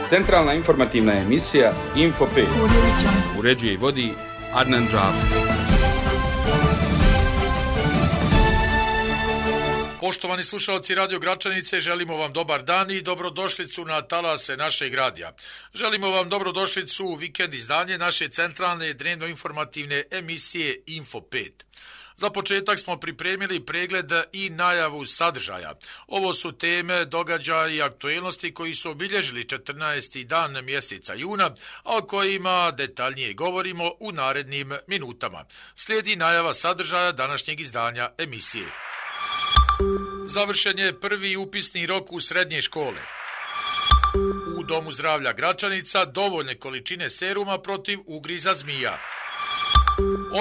Centralna informativna emisija Info 5. Uređuje i vodi Adnan Džafer. Poštovani slušalci Radio Gračanice, želimo vam dobar dan i dobrodošlicu na talase našeg radija. Želimo vam dobrodošlicu u vikend izdanje naše centralne dnevno-informativne emisije Info 5. Za početak smo pripremili pregled i najavu sadržaja. Ovo su teme, događaji i aktuelnosti koji su obilježili 14. dan mjeseca juna, a o kojima detaljnije govorimo u narednim minutama. Slijedi najava sadržaja današnjeg izdanja emisije. Završen je prvi upisni rok u srednje škole. U Domu zdravlja Gračanica dovoljne količine seruma protiv ugriza zmija.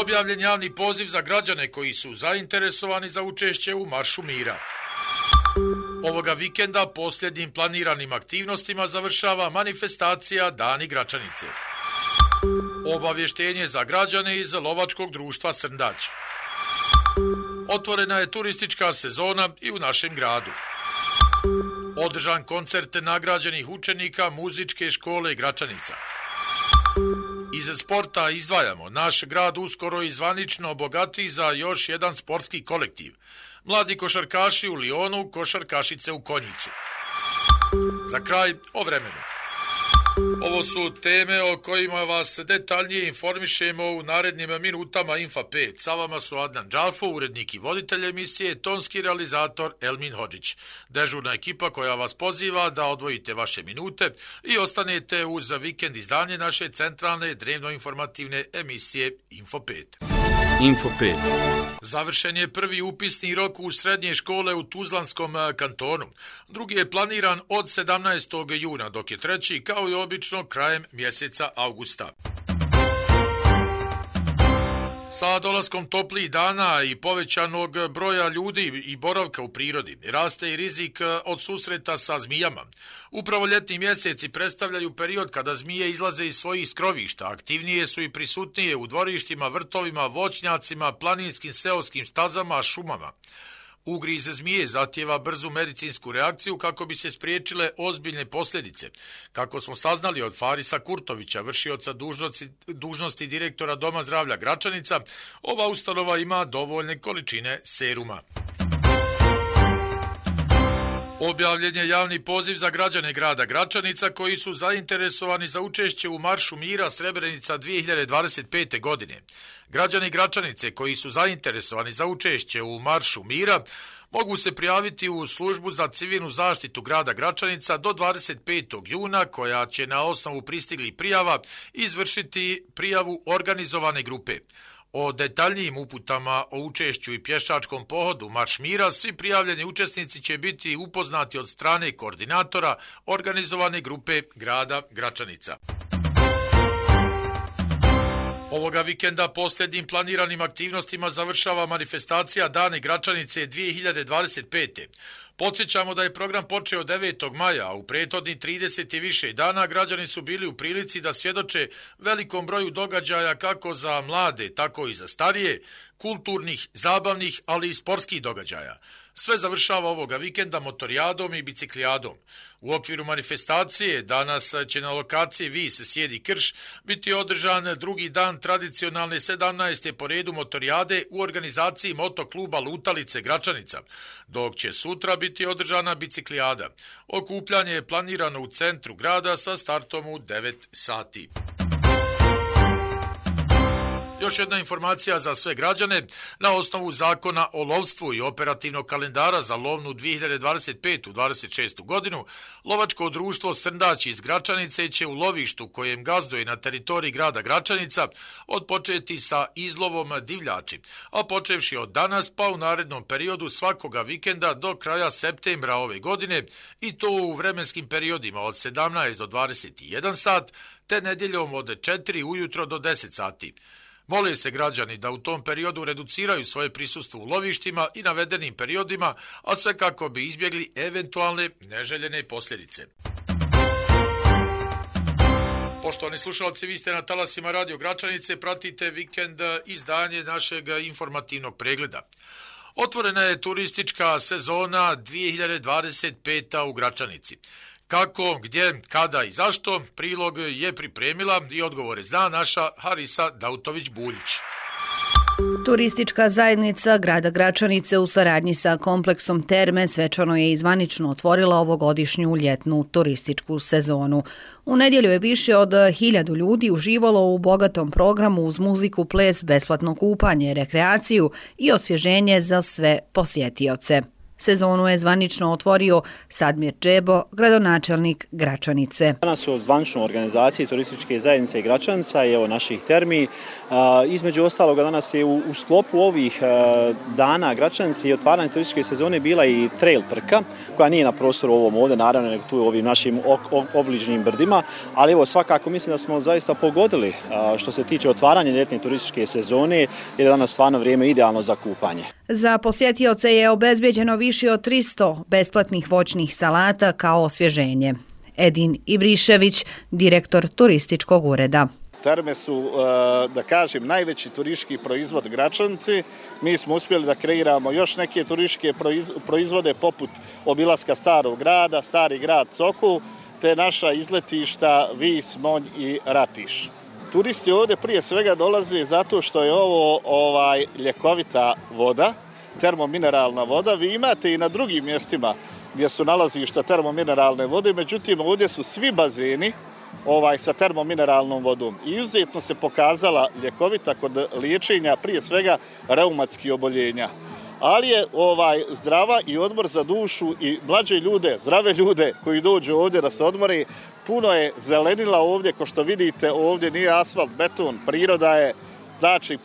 Objavljen javni poziv za građane koji su zainteresovani za učešće u Maršu mira. Ovoga vikenda posljednjim planiranim aktivnostima završava manifestacija Dani Gračanice. Obavještenje za građane iz Lovačkog društva Srndać. Otvorena je turistička sezona i u našem gradu. Održan koncert nagrađenih učenika muzičke škole Gračanica. Iz sporta izdvajamo, naš grad uskoro i zvanično obogati za još jedan sportski kolektiv. Mladi košarkaši u Lionu, košarkašice u Konjicu. Za kraj o vremenu. Ovo su teme o kojima vas detaljnije informišemo u narednim minutama Infa 5. Sa vama su Adnan Džafo, urednik i voditelj emisije, tonski realizator Elmin Hodžić. Dežurna ekipa koja vas poziva da odvojite vaše minute i ostanete uz vikend izdanje naše centralne dnevno-informativne emisije Info 5. Info 5. Završen je prvi upisni rok u srednje škole u Tuzlanskom kantonu. Drugi je planiran od 17. juna, dok je treći, kao i obično, krajem mjeseca augusta. Sa dolaskom toplijih dana i povećanog broja ljudi i boravka u prirodi raste i rizik od susreta sa zmijama. Upravo ljetni mjeseci predstavljaju period kada zmije izlaze iz svojih skrovišta, aktivnije su i prisutnije u dvorištima, vrtovima, voćnjacima, planinskim seoskim stazama, šumama. Ugriz zmije zahtijeva brzu medicinsku reakciju kako bi se spriječile ozbiljne posljedice. Kako smo saznali od Farisa Kurtovića, vršioca dužnosti direktora Doma zdravlja Gračanica, ova ustanova ima dovoljne količine seruma. Objavljen je javni poziv za građane grada Gračanica koji su zainteresovani za učešće u Maršu mira Srebrenica 2025. godine. Građani Gračanice koji su zainteresovani za učešće u Maršu mira mogu se prijaviti u službu za civilnu zaštitu grada Gračanica do 25. juna koja će na osnovu pristiglih prijava izvršiti prijavu organizovane grupe. O detaljnijim uputama o učešću i pješačkom pohodu Marš mira svi prijavljeni učesnici će biti upoznati od strane koordinatora organizovane grupe grada Gračanica. Ovoga vikenda posljednjim planiranim aktivnostima završava manifestacija Dane Gračanice 2025. Podsjećamo da je program počeo 9. maja, a u prethodnih 30 i više dana građani su bili u prilici da svjedoče velikom broju događaja kako za mlade, tako i za starije, kulturnih, zabavnih, ali i sportskih događaja. Sve završava ovoga vikenda motorijadom i biciklijadom. U okviru manifestacije danas će na lokaciji Vis Sjedi Krš biti održan drugi dan tradicionalne 17. po redu motorijade u organizaciji motokluba Lutalice Gračanica, dok će sutra biti održana biciklijada. Okupljanje je planirano u centru grada sa startom u 9 sati. Još jedna informacija za sve građane. Na osnovu zakona o lovstvu i operativnog kalendara za lovnu 2025-26. godinu, Lovačko društvo Srndać iz Gračanice će u lovištu kojem gazduje na teritoriji grada Gračanica odpočeti sa izlovom divljači, a počevši od danas pa u narednom periodu svakoga vikenda do kraja septembra ove godine i to u vremenskim periodima od 17 do 21 sat te nedjeljom od 4 ujutro do 10 sati. Mole se građani da u tom periodu reduciraju svoje prisustvo u lovištima i navedenim periodima, a sve kako bi izbjegli eventualne neželjene posljedice. Poštovani slušalci, vi ste na talasima Radio Gračanice, pratite vikend izdanje našeg informativnog pregleda. Otvorena je turistička sezona 2025. u Gračanici. Kako, gdje, kada i zašto, prilog je pripremila i odgovore zna naša Harisa Dautović-Buljić. Turistička zajednica grada Gračanice u saradnji sa kompleksom Terme svečano je i zvanično otvorila ovogodišnju ljetnu turističku sezonu. U nedjelju je više od 1000 ljudi uživalo u bogatom programu uz muziku, ples, besplatno kupanje, rekreaciju i osvježenje za sve posjetioce. Sezonu je zvanično otvorio Sadmir Džebo, gradonačelnik Gračanice. Danas u zvaničnoj organizaciji turističke zajednice Gračanica i evo naših termi. Između ostaloga danas je u sklopu ovih dana Gračanice i otvaranje turističke sezone bila i trail trka, koja nije na prostoru ovom ovdje, naravno, nego tu u ovim našim obližnjim brdima, ali evo svakako mislim da smo zaista pogodili što se tiče otvaranja ljetne turističke sezone, jer je danas stvarno vrijeme idealno za kupanje. Za posjetioce je obezbeđeno više od 300 besplatnih voćnih salata kao osvježenje. Edin Ibrišević, direktor turističkog ureda. Terme su, da kažem, najveći turistički proizvod Gračanice. Mi smo uspjeli da kreiramo još neke turističke proizvode poput obilaska Starog grada, Stari grad Sokol, te naša izletišta Vis, Monj i Ratiš. Turisti ovdje prije svega dolaze zato što je ovo ljekovita voda, termomineralna voda. Vi imate i na drugim mjestima gdje su nalazišta termomineralne vode, međutim ovdje su svi bazeni sa termomineralnom vodom. I izuzetno se pokazala ljekovita kod liječenja prije svega reumatskih oboljenja. Ali je zdrava i odmor za dušu i mlađe ljude, zdrave ljude koji dođu ovdje da se odmore. Puno je zelenila ovdje, kao što vidite, ovdje nije asfalt, beton, priroda je, znači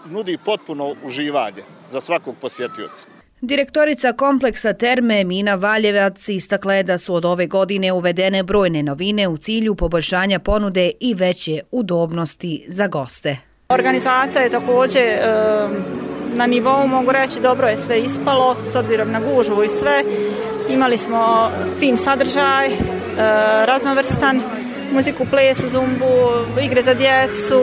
nudi potpuno uživanje za svakog posjetioca. Direktorica kompleksa Terme Mina Valjevac istakla je da su od ove godine uvedene brojne novine u cilju poboljšanja ponude i veće udobnosti za goste. Organizacija je također na nivou, mogu reći, dobro je sve ispalo, s obzirom na gužvu i sve. Imali smo fin sadržaj, raznovrstan, muziku, ples, zumbu, igre za djecu,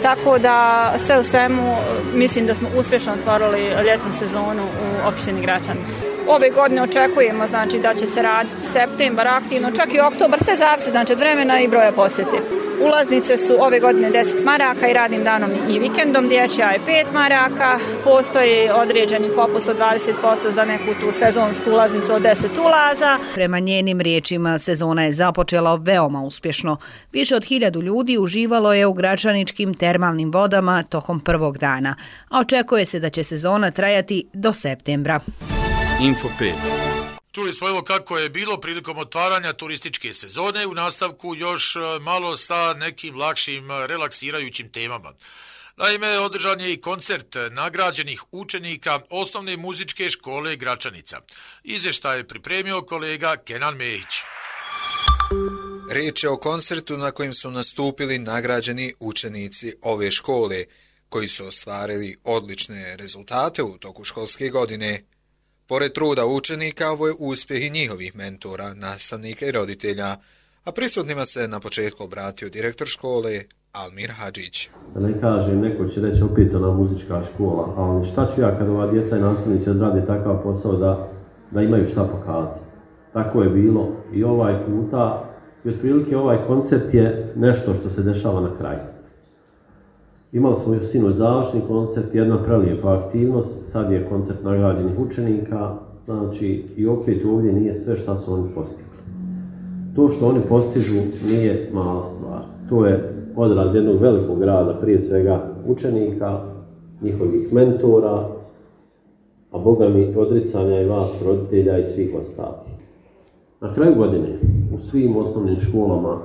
tako da sve u svemu mislim da smo uspješno otvorili ljetnu sezonu u opštini Gračanice. Ove godine očekujemo da će se raditi septembar aktivno, čak i oktobar, sve zavisi od vremena i broja posjeti. Ulaznice su ove godine 10 maraka i radnim danom i vikendom, dječja je 5 maraka, postoji određeni popust od 20% za neku tu sezonsku ulaznicu od 10 ulaza. Prema njenim riječima, sezona je započela veoma uspješno. Više od 1000 ljudi uživalo je u gračaničkim termalnim vodama tokom prvog dana, a očekuje se da će sezona trajati do septembra. Info 5. Čuli smo evo kako je bilo prilikom otvaranja turističke sezone, u nastavku još malo sa nekim lakšim relaksirajućim temama. Naime, održan je i koncert nagrađenih učenika osnovne muzičke škole Gračanica. Izvještaj je pripremio kolega Kenan Mehić. Riječ je o koncertu na kojem su nastupili nagrađeni učenici ove škole, koji su ostvarili odlične rezultate u toku školske godine. Pored truda učenika, ovo je uspjeh i njihovih mentora, nastavnika i roditelja, a prisutnima se na početku obratio direktor škole Almir Hadžić. Da ne kažem, neko će reći opet ona muzička škola, ali šta ću ja kad ova djeca i nastavnici odrade takav posao da imaju šta pokazati. Tako je bilo i ovaj puta, i otprilike ovaj koncert je nešto što se dešava na kraju. Imali smo još sinoć završni koncert, jedna prelijepa aktivnost, sad je koncert nagrađenih učenika, znači i opet ovdje nije sve što su oni postigli. To što oni postižu nije mala stvar, to je odraz jednog velikog rada, prije svega učenika, njihovih mentora, a Boga mi odricanja i vas, roditelja i svih ostalih. Na kraju godine u svim osnovnim školama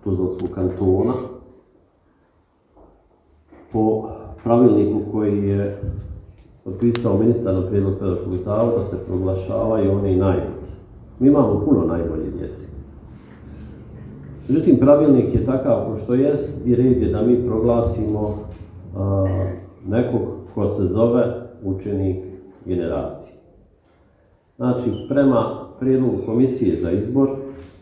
Tuzlanskog kantona po pravilniku koji je potpisao ministar na prijedlog pedagoškog zavoda se proglašavaju oni najbolji. Mi imamo puno najbolje djece. Međutim, pravilnik je takav ko što jest i red je da mi proglasimo nekog ko se zove učenik generacije. Znači, prema prijedlogu komisije za izbor,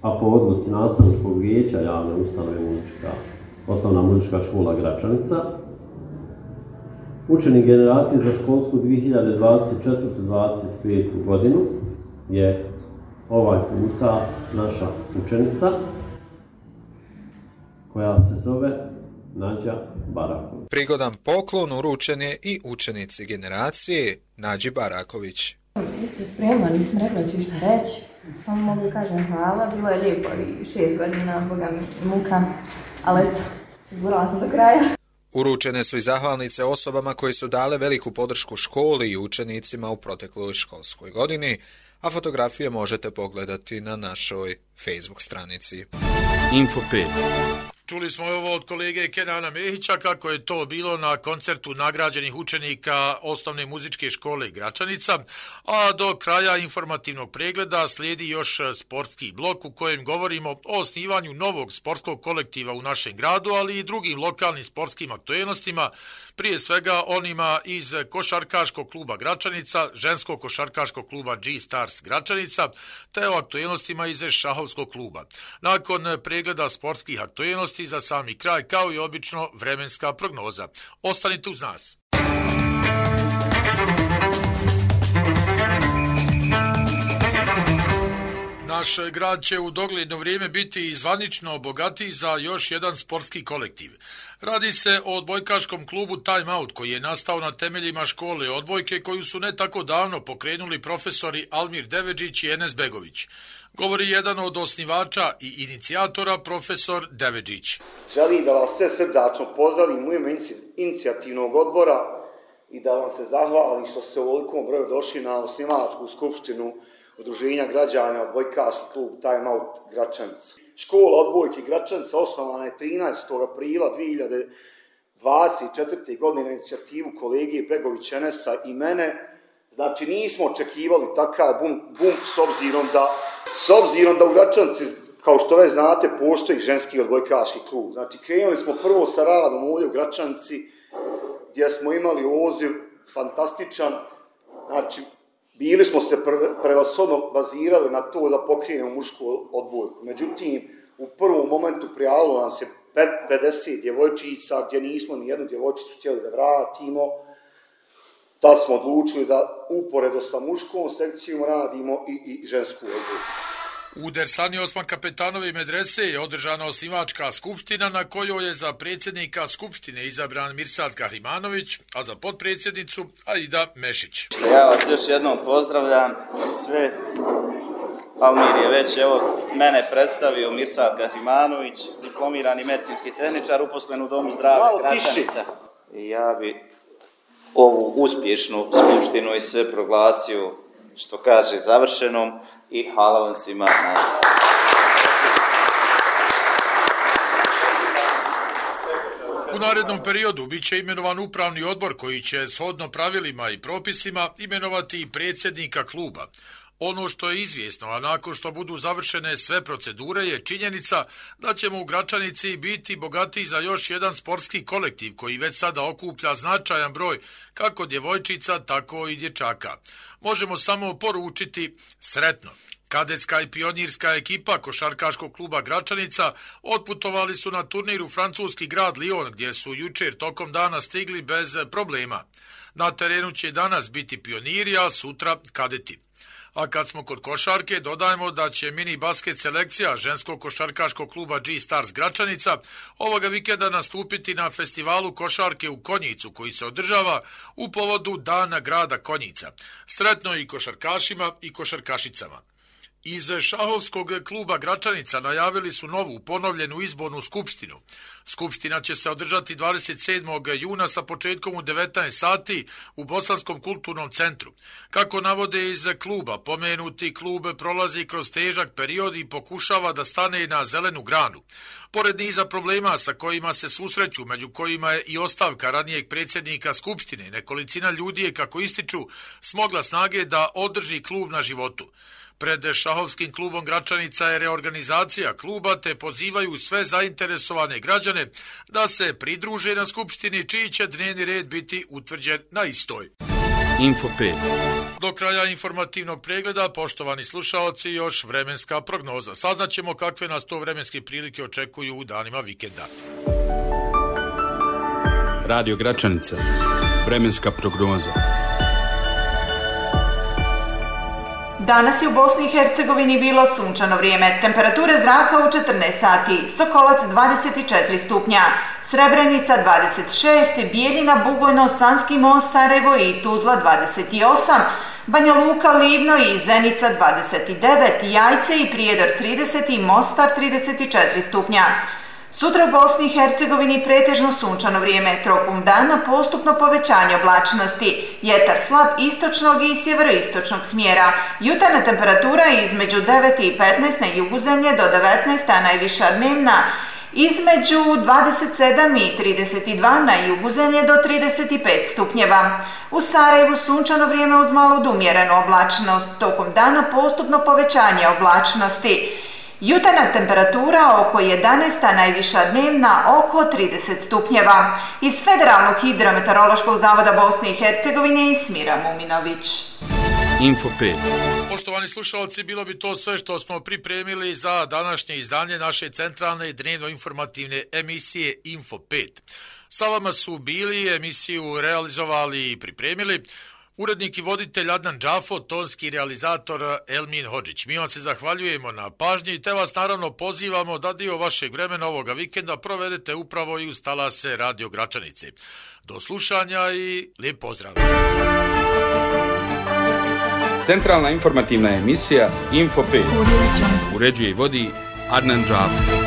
a po odluci nastavničkog vijeća javne ustanove osnovna muzička škola Gračanica, učenik generacije za školsku 2024-2025 godinu je ovaj puta naša učenica koja se zove Nađa Baraković. Prigodan poklon uručen je i učenici generacije Nađi Baraković. Ti si spremna, nisam rekla ću što reći. Samo mogu kažem hvala, bilo je lijepo i 6 godina, boga mi muka, ali eto, izborala sam do kraja. Uručene su i zahvalnice osobama koji su dale veliku podršku školi i učenicima u protekloj školskoj godini, a fotografije možete pogledati na našoj Facebook stranici. Info 5. Čuli smo ovo od kolege Kenana Mehića kako je to bilo na koncertu nagrađenih učenika osnovne muzičke škole Gračanica, a do kraja informativnog pregleda slijedi još sportski blok u kojem govorimo o osnivanju novog sportskog kolektiva u našem gradu, ali i drugim lokalnim sportskim aktuelnostima, prije svega onima iz košarkaškog kluba Gračanica, ženskog košarkaškog kluba G-Stars Gračanica, te o aktuelnostima iz šahovskog kluba. Nakon pregleda sportskih aktuelnosti za sami kraj, kao i obično, vremenska prognoza. Ostanite uz nas. Naš grad će u dogledno vrijeme biti zvanično bogatiji za još jedan sportski kolektiv. Radi se o odbojkaškom klubu Time Out koji je nastao na temeljima škole odbojke koju su ne tako davno pokrenuli profesori Almir Devedžić i Enes Begović. Govori jedan od osnivača i inicijatora, profesor Devedžić. Želim da vas sve srdačno pozdravim u ime inicijativnog odbora i da vam se zahvalim što ste u ovolikom broju došli na osnivačku skupštinu Udruženja građana odbojkaški klub Time Out Gračanica. Škola odbojke Gračanica osnovana je 13. aprila 2024. godine na inicijativu kolege Begović Enesa i mene. Znači nismo očekivali takav bum s obzirom da u Gračanici, kao što već znate, postoji ženski odbojkaški klub. Znači krenuli smo prvo sa radom ovdje u Gračanici gdje smo imali odziv fantastičan. Znači bili smo se prevashodno bazirali na to da pokrenemo mušku odbojku. Međutim, u prvom momentu prijavilo nam se 50 djevojčica gdje nismo ni jednu djevojčicu htjeli da vratimo. Tad smo odlučili da uporedo sa muškom sekcijom radimo i žensku odbojku. U Dersani Osman Kapetanove medrese je održana osnivačka skupština na kojoj je za predsjednika skupštine izabran Mirsad Kahrimanović, a za potpredsjednicu Aida Mešić. Ja vas još jednom pozdravljam sve. Almir je već mene predstavio, Mirsad Kahrimanović, diplomirani medicinski tehničar, uposlen u Domu zdravlja Gračanica. I ja bi ovu uspješnu skupštinu i sve proglasio, što kaže, završenom i hvala vam svima na... U narednom periodu bit će imenovan upravni odbor koji će shodno pravilima i propisima imenovati i predsjednika kluba. Ono što je izvjesno, a nakon što budu završene sve procedure, je činjenica da ćemo u Gračanici biti bogatiji za još jedan sportski kolektiv koji već sada okuplja značajan broj kako djevojčica, tako i dječaka. Možemo samo poručiti sretno. Kadetska i pionirska ekipa košarkaškog kluba Gračanica otputovali su na turnir u francuski grad Lyon, gdje su jučer tokom dana stigli bez problema. Na terenu će danas biti pioniri, a sutra kadeti. A kad smo kod košarke, dodajemo da će mini basket selekcija ženskog košarkaškog kluba G-Stars Gračanica ovoga vikenda nastupiti na festivalu košarke u Konjicu koji se održava u povodu Dana grada Konjica. Sretno i košarkašima i košarkašicama. Iz šahovskog kluba Gračanica najavili su novu ponovljenu izbornu skupštinu. Skupština će se održati 27. juna sa početkom u 19 sati u Bosanskom kulturnom centru. Kako navode iz kluba, pomenuti klub prolazi kroz težak period i pokušava da stane na zelenu granu. Pored niza problema sa kojima se susreću, među kojima je i ostavka ranijeg predsjednika skupštine, nekolicina ljudi je, kako ističu, smogla snage da održi klub na životu. Pred šahovskim klubom Gračanica je reorganizacija kluba, te pozivaju sve zainteresovane građane da se pridruže na skupštini, čiji će dnevni red biti utvrđen na istoj. Info 5. Do kraja informativnog pregleda, poštovani slušaoci, još vremenska prognoza. Saznaćemo kakve nas to vremenske prilike očekuju u danima vikenda. Radio Gračanica. Vremenska prognoza. Danas je u Bosni i Hercegovini bilo sunčano vrijeme. Temperature zraka u 14 sati. Sokolac 24 stupnja, Srebrenica 26, Bijeljina, Bugojno, Sanski most, Sarajevo i Tuzla 28, Banja Luka, Livno i Zenica 29, Jajce i Prijedor 30 i Mostar 34 stupnja. Sutra u Bosni i Hercegovini pretežno sunčano vrijeme, tokom dana postupno povećanje oblačnosti, vjetar slab istočnog i sjeveroistočnog smjera, jutarnja temperatura između 9 i 15 na jugu zemlje do 19, a najviša dnevna između 27 i 32 na jugu zemlje do 35 stupnjeva. U Sarajevu sunčano vrijeme uz malo odumjerenu oblačnost, tokom dana postupno povećanje oblačnosti. Jutarnja temperatura oko 11, a najviša dnevna oko 30 stupnjeva. Iz Federalnog hidrometeorološkog zavoda Bosne i Hercegovine Ismira Muminović. Info 5. Poštovani slušalci, bilo bi to sve što smo pripremili za današnje izdanje naše centralne dnevno-informativne emisije Info 5. Sa vama su bili, emisiju realizovali i pripremili urednik i voditelj Adnan Džafo, tonski realizator Elmin Hodžić. Mi vam se zahvaljujemo na pažnji te vas naravno pozivamo da dio vašeg vremena ovoga vikenda provedete upravo i uz talase Radio Gračanice. Do slušanja i lijep pozdrav! Centralna informativna emisija Info 5. Uređuje i vodi Adnan Džafo.